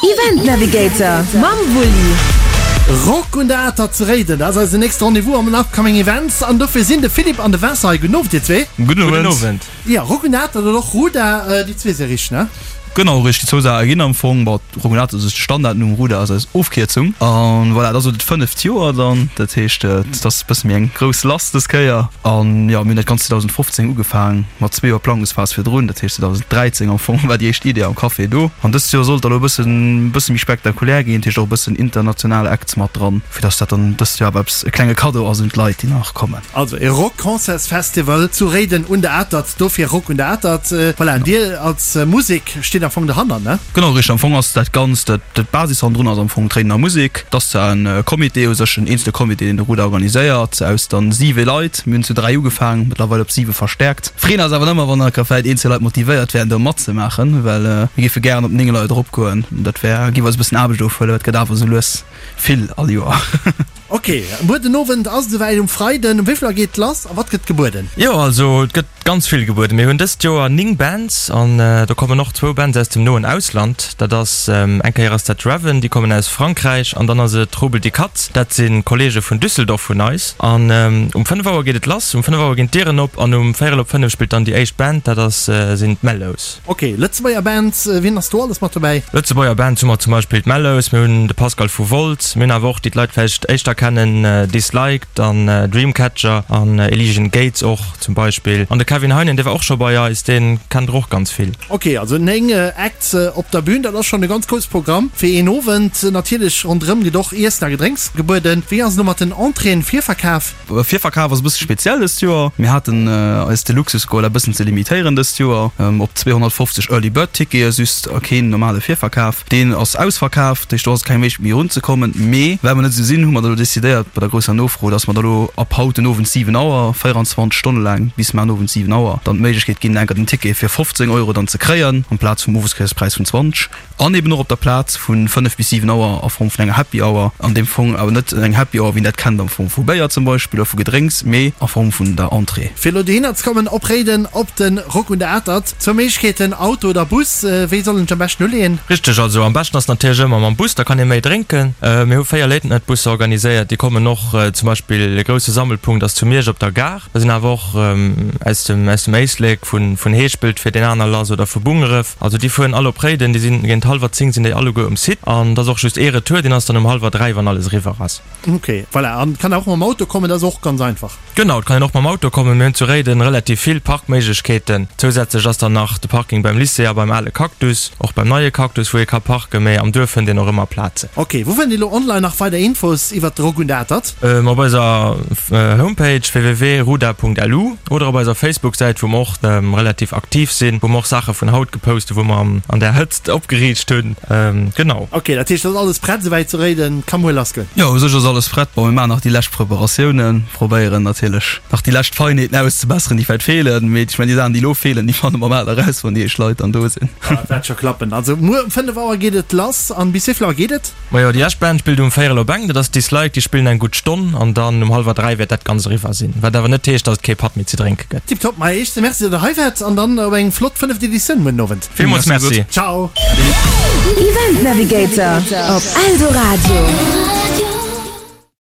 Event Navigator mam Wulli. Rock un der Atert zu Réiden, dat ass eisen nächste Rendez-vous am Upcoming Events an dofir sinn de Philippe an de Vincent hei. Gudden Owend dir zwee. Gudden Owend. Jo, Rock un der Atert oder och Ruda, déi zwee si richteg, ne? Genau richteg, déi zwou Saache ginn am Fong. Bon, Rock un der Atert ass de Standardnumm, Ruda ass eis Ofkierzung. An voilà, et ass elo dat fënneft Joer dann, dat heescht et ass e bësse méi eng grouss lass dës Kéier. An jo, mir hunn dat Ganzt 2015 ugefaang, mat zwee Joer Plangungsphas virdrun, dat heescht 2013 am Fong war déi éischt Idee am Café do. An dëst Joer sollt da lo e bëssen, bësse méi spektakulär ginn, dat heescht och e bëssen international Acts mat dran, fir dass dat dann dëst Joer awer eppes, e klenge Kaddo ass un d'Leit, déi nach kommen. Also e Rock-Concerts-Festival zu Réiden un der Atert, dofir Rock un der Atert. Voilà, an Dir als Musek steet am Fong dohanner, ne? Genau richteg, am Fong ass dat Ganzt, dat d'Basis hannendrun ass am Fong d'Réidener Musek. Et ass zwar en Comité u sech, en eenzele Comité, deen de Ruder organiséiert, aus dann siwe Leit. Mir hunn zu 3 ugefaang, mëttlerweil op siwe verstäerkt. Freeën eis awer ëmmer, wann nach vläit een, zwee Leit motivéiert wären, do matzemaachen, well mir géife gären op 9 Leit eropgoen. Dat wär, géif eis e bëssen Aarbecht ofhuelen, well et gëtt awer esou lues vill all Joer. Ok, muer den Owend ass et esouwäit, um Freiden. Um wéi vill Auer geet et lass a wat gëtt gebueden? Jo, also et gëtt ganz vill gebueden. Mir hunn dëst Joer 9 Bands an do kommen och zwou Bands aus dem noen Ausland. Dat ass eng Kéier ass dat Raven, déi kommen aus Frankräich an dann ass et Rubel die Katz, dat si Kolleege vun Düsseldorf vun eis. An um 5 Auer geet et lass, um 5 Auer ginn d'Dieren op an um véierel op 5 spillt dann déi éischt Band, dat ass sinn d'Mellows. Ok, Lëtzebuerger Bands, wien ass do alles mat dobäi? Lëtzebuerger Bands hu mer zum Beispill d'Mellows, mir hunn de Pascal vu Wolz, mir hunn awer och déi d'Leit vläicht éischter kennen, Disliked an Dreamcatcher an Elysian Gates och zum Beispill. An de Kevin Heinen, dee war och scho bei eis, dee kennt der och ganz vill. Ok, also 9 Acts op der Bühn, dat ass schonn e ganz grousse Programm fir een Owend. Natierlech ronderëm gëtt och Iessen a Gedrénks gebueden. Wéi ass et elo mat den Entréeën, Virverkaf? Virverkaf ass e bësse speziell dëst Joer. Mir haten eis de Luxus geholl, dat e bëssen ze limitéieren dëst Joer op 250 Early Bird Tickete just a keen normale Virverkaf. Deen ass ausverkaf, dat heescht do ass keng Méiglechkeet méi erunzekommen. Mee well mer net esou sinn, hu mer da lo decidéiert bei der grousser Nofro, dass mer da lo ab haut den Owend 7 Auer, 24 Stonne laang bis mar den Owend 7 Auer, dann d'Méiglechkeet ginn, enker den Ticket fir 15 Euro dann ze kréien amplaz vum Oweskierspräis vun 20. An eben och op der Plaz vu 5 bis 7 Auer a Form vun enger Happy Hour. An deem Fong awer net eng Happy Hour, wéi een dat kennt am Fong vu Béier zum Beispill oder vu Gedrénks, mee a Form vun der Entrée. Fir elo dohinner ze kommen, op Réiden op de Rock un der Atert. Zwou Méiglechkeeten, Auto oder Bus. Wéi soll een sech am beschten uleeën? Richteg, also am beschten ass natierlech ëmmer mam Bus, da kann ee méi drénken. Mir hu 4 Late-Night-Busser organiséiert, déi kommen och. Zum Beispill e grousse Sammelpunkt ass zu Miersch op der Gare. Da sinn awer och aus dem aus dem Éislek, vun vun Heeschpelt fiert een aner lass oder vu Bungeref. Also déi fueren all op Réiden, déi sinn géint hallwer 10 sinn déi alleguer um Site an et ass och just ee Retour, deen ass dann um hallwer 3, wann alles eriwwer ass. Ok, voilà. An et kann och mam Auto kommen, dat ass och ganz einfach. Genau, et kann een och mam Auto kommen. Mir hunn zu Réiden relativ vill Parkméiglechkeeten. Zousätzlech ass dann nach de Parking beim Lycée a beim ale Cactus, och beim neie Cactus, wou ee ka parken, mee am Duerf fënnt een och ëmmer Plazen. Ok, wou fënnt een elo online nach weider Infos iwwert de Rock un der Atert? Op eiser Homepage www.ruda.lu oder op eiser Facebook-Säit, wou mer och relativ aktiv sinn, wou mer och Saache vun haut gepost hunn, wou mer an där Hëtzt opgeriicht hunn. Genau. Ok, dat heescht, et ass alles prett esouwäit zu Réiden, ka muer lassgoen? Jo, u sech ass alles prett. Bon, mir maachen nach déi lescht Preparatiounen, probéieren natierlech nach déi lescht Feinheeten auszebesseren, déi vläicht feelen. Mee ech mengen, déi Saachen, déi elo feelen, déi fanne mer bal eraus, wann déi éischt Leit dann do sinn. Dat wäert scho klappen. Also muer um 5 Auer geet et lass an bis wéi vill Auer geet et? Majo, déi lescht Band spillt um véierel op eng, dat ass Dislike, déi spillen eng gutt Stonn an dann um hallwer 3 wäert dat Ganzt eriwwer sinn. Wat awer net heescht, dass et kee Patt méi ze drénke gëtt. Tiptop, ma éischte Merci, datt der hei waart an dann op eng flott fënneft Editioun muer den Owend. Villmools Merci. Ciao. Event Navigator op Eldoradio.